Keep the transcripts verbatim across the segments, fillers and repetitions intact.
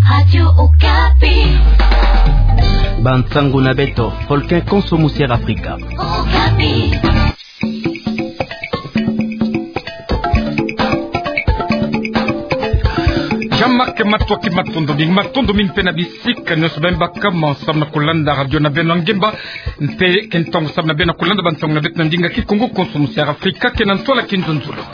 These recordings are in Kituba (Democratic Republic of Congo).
Radio Okapi. Bansango na beto, Volcan Konso Musière Afrika. Okapi. Jamake matoki, matondo mingi, matondo mingi mpe na bisika nyonso beno baka mo samu na kulanda radio na beno ya ngemba, mpe ke ntangu samu na beno kulanda bansango na beto na ndinga Kikongo, Konso Musière Afrika, ke na ntwala kinzonzolo.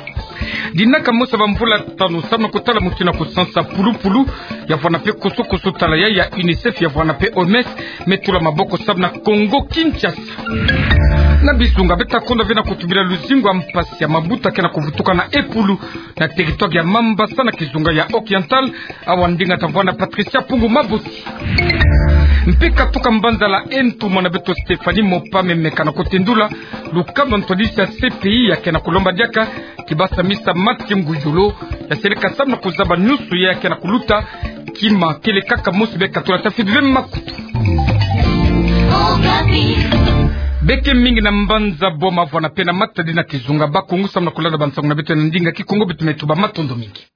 Dinaka mosi ya bamvula tanu samu na kutala mutindu ya kusansa pulupulu ya vwanda mpe kusukusu tala ya, ya UNICEF ya vwanda mpe O M S me tula maboko samu na Kongo Kinshasa. Na bizunga beta konda ve na kutubila luzingu ya mpasi ya mabuta ke na kuvutuka na epulu na territoire ya Mambasa na kizunga ya Oriental, awa ndinga ta vwanda Patricia Pungu Maboti. Mpe katuka mbanza la ento, mwana beto Stéphanie Mopame me ke na kutendula lukamba ntwadisi ya C P I ya ke na kulomba diaka kibasa misa Mathieu Ngudjolo ya seleka samu na kuzaba nyonso ya ke na kuluta kima. Kele kaka mosi beka tula ta fidi ve makutu. Beke mingi na mbanza Boma vwanda mpe na Matadi na kizunga Bas-Congo samu na kulanda bansango na beto na ndinga Kikongo, beto me tuba matondo mingi.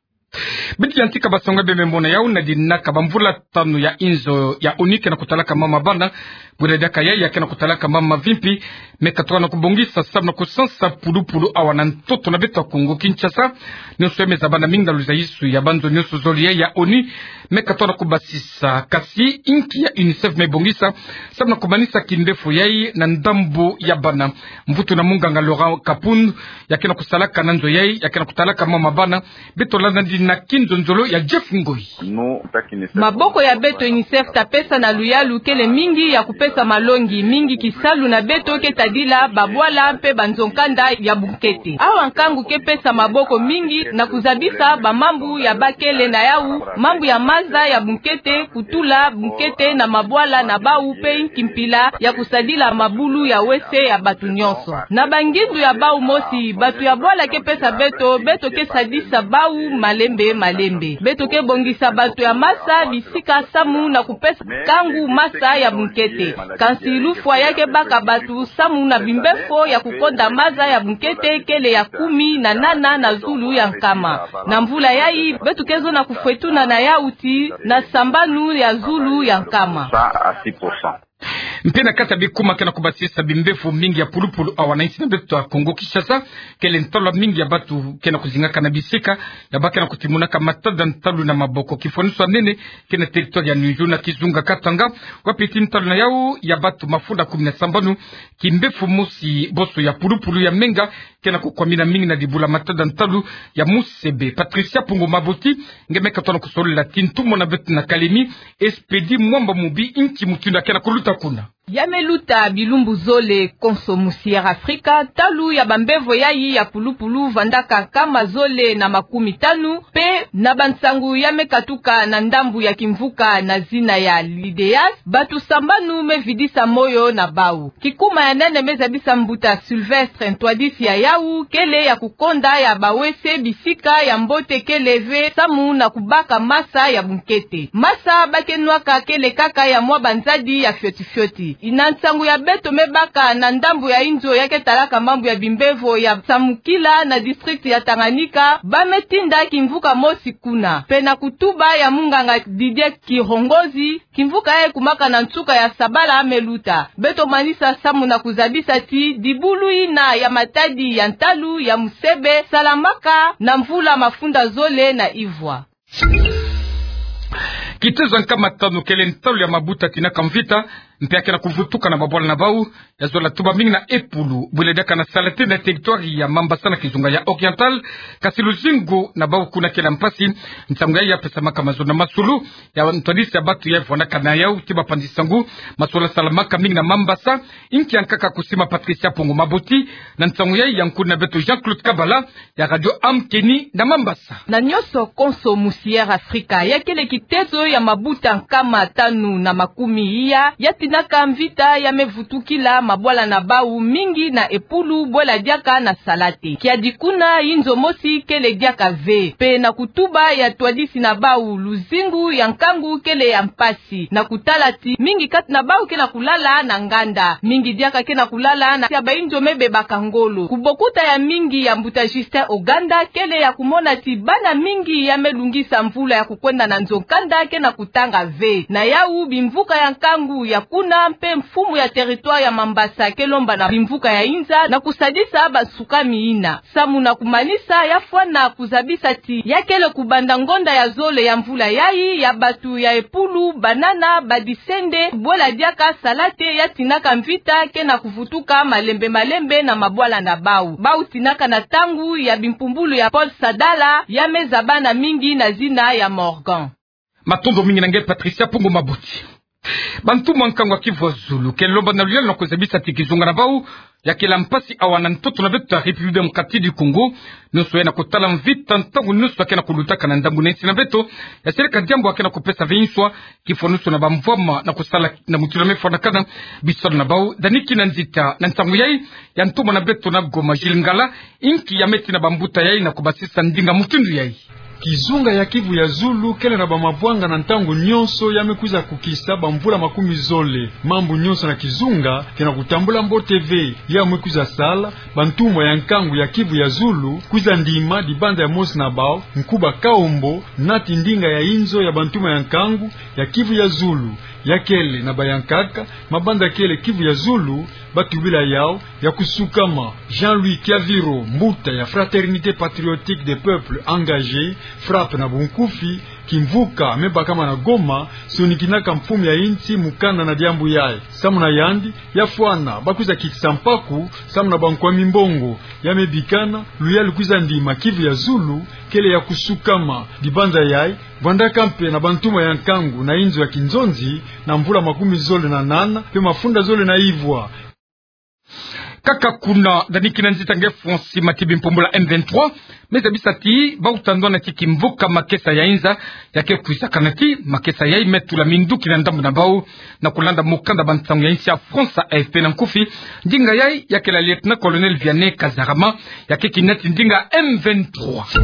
Beto yantika bansango beno me mona yau na dinaka bamvula tanu ya inzo ya ONU ke na kutalaka mama bana, bwela diaka ya, ya ke na kutalaka mama mavimpi, me katuka na kubongisa samu na kusansa pulupulu awa na ntoto na beto ya Kongo Kinshasa. Nyonso ya me zaba na mingi na luzayisu ya banzo nyonso zole ya, ya ONU me katuka na kubasisa. Kasi inki ya UNICEF me bongisa samu na kumanisa kindefu yai na ndambu ya bana? Mvutu na munganga Laurent Kapund ya ke na kusalaka na nzo yai, ya ke na kutalaka mama bana. Beto landa ndinga kinzonzolo ya Jeff Ngoi. Maboko ya beto UNICEF ta pesa na luyalu kele mingi ya kupesa malongi mingi kisalu na beto ke tadila babwala mpe banzo-nkanda ya bunkete. Awa nkangu ke pesa maboko mingi na kuzabisa bamambu ya bakele na yau, mambu ya maza ya bunkete, kutula bunkete na mabwala na bau mpe inki mpila ya kusadila mabulu ya wese ya bato nyonso. Na bangindu ya bau mosi, bato ya bwala ke pesa beto, beto ke sadisa bau malembe malembe. Beto ke bongisa bato ya masa bisika samu na kupesa nkangu masa ya bunkete. Kansi lufwa ya ke baka bato samu na bimbefo ya kukonda maza ya bunkete kele ya kumi na nana na zulu ya nkama. Na mvula yai, beto ke zonza kufwetuna na yau tii na sambanu ya zulu ya nkama. Mpe na kati ya bikuma ke na kubasisa bimbefo mingi ya pulupulu awa na insi na beto ya Kongo Kinshasa, kele ntalu mingi ya bato ke na kuzingaka na bisika ya ba ke na kutimonaka matada ntalu na maboko. Kifwaniso ya nene ke na territoire ya Niunju na kizunga Katanga, wapi tii ntalu na yau ya bato mafunda kumi na sambanu, kimbefo mosi boso ya pulupulu ya menga ke na kukwamina mingi na dibula matada ntalu ya musebe. Patricia Pungu Maboti nge me katuka na kusolola tii ntumwa na beto na Kalemi, Expedit Mwamba Mubi, inki mutindu ya ke na kuluta kuna. Ya me luta bilumbu zole Konso Musière Afrika, ntalu ya bambevo yai ya pulupulu vandaka nkama zole na makumi tanu, mpe na bansangu ya me katuka na ndambu ya kimvuka na zina ya l'IDEAS, bato sambanu me vidisa moyo na bau. Kikuma ya nene me zabisa mbuta Sylvestre ntwadisi ya yau kele ya kukonda ya bawese bisika ya mbote kele ve samu na kubaka masa ya bunkete. Masa ba ke nwaka kele kaka ya mwa banzadi ya fioti fioti. Na nsangu ya beto me baka na ndambu ya inzo ya ke talaka mambu ya bimbevo ya Samukila na district ya Tanganyika, ba me tinda kimvuka mosi kuna. Mpe na kutuba ya munganga Didier Kihongozi, kimvuka yai ekumaka na nsuka ya sabala me luta. Beto manisa samu na kuzabisa tii dibulu yina ya matadi ya ntalu ya musebe salamaka na mvula mafunda zole na ivwa. Kitezo ya nkama tanu kele ntalu ya mabuta tinaka mvita, mpe ya ke na kuvutuka na babwala na bau, ya zola tuba mingi na epulu, bwela diaka na Salate na territoire ya Mambasa na kizunga ya Oriental, kasi luzingu na bau kuna kele mpasi. Nsangu yai ya pesamaka mazono na masolo ya ntwadisi ya bato ya vandaka na yau tii bapanzi nsangu, mazono salamaka mingi na Mambasa, inki ya nkaka kusima Patricia Pungu Maboti, na nsangu yai ya nkuni na beto Jean-Claude Kabala ya Radio Amkeni na Mambasa. Na nyonso Konso Musière Afrika, ya kele kitezo ya mabuta nkama tanu na makumi iya, ya Tinaka mvita ya me vutukila mabwala na bau mingi na epulu bwela diaka na sala te. Kiadi kuna, inzo mosi kele diaka ve. Mpe na kutuba ya twadisi na bau, luzingu ya nkangu kele ya mpasi. Na kutala ti mingi kati na bau ke na kulala na nganda. Mingi diaka ke na kulala na sia bainzo me bebaka ngolo. Kubokuta ya mingi ya mbuta Justin Oganda kele ya kumona ti bana mingi ya me lungisa mvula ya kukwenda na nzo nkanda ke na kutanga ve. Na yau, bimvuka ya nkangu ya kuna mpe mfumu ya territoire ya Mambasa ke lomba na bimvuka ya inza na kusadisa bansuka mi ina. Samu na kumanisa, ya fwana kuzabisa ti ya kele kubanda ngonda ya zole ya mvula yai, ya batu ya epulu, banana, badisende, bwela diaka sala te, ya tinaka mvita ke na kuvutuka malembe malembe na mabwala na bau. Bau tinaka na ntangu ya bimpumbulu ya Paul Sadala, ya me zaba na mingi na zina ya Morgan. Matondo mingi na nge Patricia Pungu Mabuti. Bantumwa nkangu ya Kivu ya Zulu ke lomba na luyalu na kuzabisa ti kizunga na bau ya kele mpasi awa na ntoto na beto ya République Démocratique du Congo. Nyonso ya na kutala mvita ntangu nyonso ya ke na kulutaka na ndambu na insi na beto, ya seleka diambu ya ke na kupesa ve nswa, kifwa nyonso na bamvwama na kusala na mutindu ya me fwanakana. Bisalu na bau, Dani Kinanzita, na ntangu yai ya ntumwa na beto na Goma, Gilles Ngala, inki ya me tina bambuta yai na kubasisa ndinga mutindu yai. Kizunga ya Kivu ya Zulu kele na bamavwanga na ntangu nyonso ya me kwiza kukisa bamvula makumi zole. Mambu nyonso na kizunga ke na kutambula mbote ve. Ya me kwiza sala bantumwa ya nkangu ya Kivu ya Zulu kwiza ndima dibanza ya mosi na bau, Nkuba Kaombo, nati ndinga ya inzo ya bantumwa ya nkangu ya Kivu ya Zulu. Ya kele na bayankaka, mabanza kele Kivu ya Zulu, batubila yau ya kusukama. Jean-Louis Kiaviro, mbuta ya Fraternité Patriotique des Peuples Engagés, FRAPE na bunkufi, kimvuka me bakama na Goma, sonikinaka mfumu ya insi mukanda na diambu yai. Samu na yandi, ya fwana bakwiza kitisa mpaku samu na bankwami mbongo. Ya me bikana luyalu kwiza ndima Kivu ya Zulu kele ya kusukama. Dibanza yai, vwandaka mpe na bantumwa ya nkangu na inzo ya kinzonzi na mvula makumi zole na nana mpe mafunda zole na ivwa. Kaka kuna, Dani Kinanzita, nge Francis Matibi, mpumbula M vingt-trois, me zabisa ti bauta ndwana ti kimvuka makesa ya inza ya ke kwizakana ti makesa yai me tula minduki na ndambu na bau, na kulanda mukanda bansangu ya insi ya France, A F P na nkufi. Ndinga yai ya kele ya Lieutenant-colonel Vianney Kazarama, ya ke kinati ndinga M vingt-trois.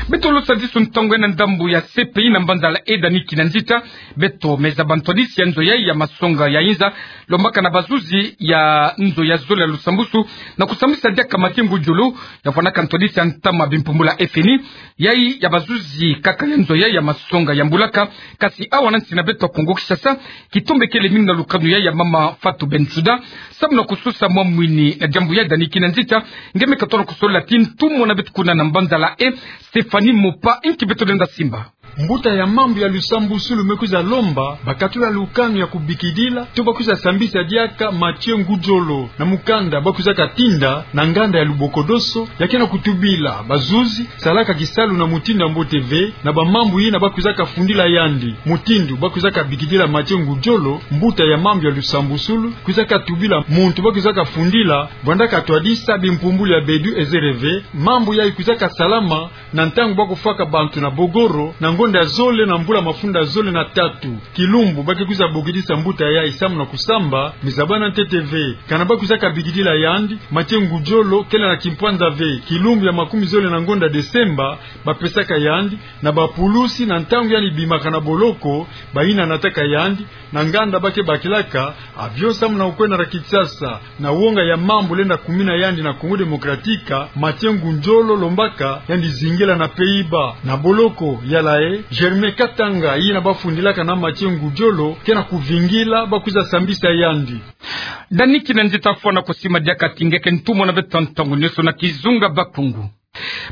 Beto lo sadisu ntangu yai na ndambu ya C P I na mbanzala e Dani Kinanzita. Beto me zaba ntwadisi ya nzo yai ya masonga ya inza, lombaka na bazuzi ya nzo ya zole ya lusambusu na kusambisa diaka Mathieu Ngudjolo, ya fwanaka ntwadisi ya ntama bimpumbula F N I, yai ya bazuzi kaka ya nzo yai ya masonga ya mbulaka. Kasi awa na nsi na beto ya Kongo Kinshasa, kitombe kele mingi na lukanu yai ya mama Fatou Bensouda. Samu na kususa mwa mwini na diambu yai, Dani Kinanzita, nge me katono kusola ti ntumwa na beto kuna na mbanzala e, Stéphanie Mopa, inki beto lenda simba. Mbuta ya mambu ya lusambusulu me kwiza lomba bakatula lukanu ya kubikidila to bakwiza sambisa diaka Mathieu Ngudjolo na mukanda bakwizaka tinda na nganda ya Lubokodoso. Ya ke na kutubila bazuzi salaka kisalu na mutindu ya mbote ve na bamambu yina bakwizaka fundila yandi. Mutindu bakwizaka bikidila Mathieu Ngudjolo, mbuta ya mambu ya lusambusulu kwizaka tubila muntu bakwizaka fundila, vwandaka twadisa bimpumbulu ya Bedu Ezereve, mambu yai kwizaka salama na ntangu bakufwaka bantu na Bogoro na ngonda ya zole na mvula mafunda zole na tatu. Kilumbu ba ke kwiza bokidisa mbuta yai samu na kusamba, me zabana ntete ve. Kana bakwizaka bikidila yandi, Mathieu Ngudjolo kele na kimpwanza ve. Kilumbu ya makumi zole na ngonda Desemba, bapesaka yandi na bapulusi na ntangu yandi bimaka na boloko, bayina nataka yandi na nganda ba ke bakilaka avion samu na kukwenda na Kinshasa. Na wonga ya mambu lenda kumina yandi na Congo Démocratique, Mathieu Ngudjolo lombaka yandi zingila na Pays-Bas. Na boloko ya La Haye, Germain Katanga, yina bafundilaka na Mathieu Ngudjolo, ke na kuvingila bakwiza sambisa yandi. Dani Kinanzita, fwana kusima diaka ti nge ke ntumwa na beto ntangu nyonso na kizunga Bakongo.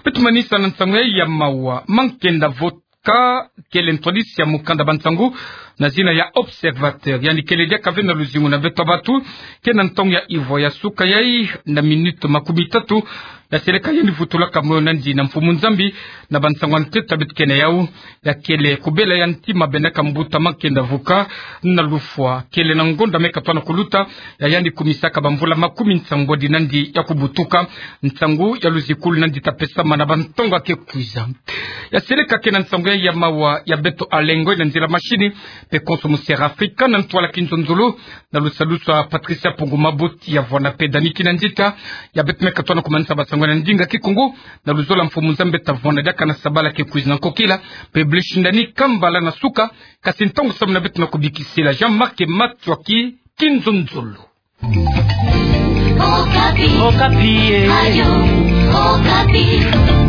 Beto manisa na nsangu yai ya mawa. Mankenda Voka kele ntwadisi ya mukanda bansangu na zina ya Observateur. Yandi kele diaka ve na luzingu na beto bantu, ke na ntangu ya ivwa ya suka yai na minute makumi tatu, ya seleka yandi vutulaka moyo nandi na mfumu Nzambi. Na bansango ya ntete beto kena yau, ya kele kubela ya ntima bena ka mbuta Mankenda Vuka na lufwa. Kele na ngonda me katona kuluta, ya yandi kumisaka bamvula makumi nsambwadi nandi ya kubutuka. Nsangu ya luzikulu nandi ta pesama na bantonga ke kwiza. Ya seleka kena nsangu ya, ya mawa ya beto Alengo na nzila mashini, pe konso mu Sierra Africa na ntwala Kinzonzolo, na lusalusu a Patricia Pungu Maboti ya vwanda pe Dani Kinanzita. Ya beto me katona kumanisa basango na ndinga Kikongo, na luzolo mfumu Nzambi ta vwanda diaka na sabala ke kwiza na nkokila, pe blishi ndani kambala na suka. Kasi ntangu samu na beto na kubikisela, Jean-Marc Matsoaki, Kinzonzolo. Okapi. Okapi, eh. Radio Okapi.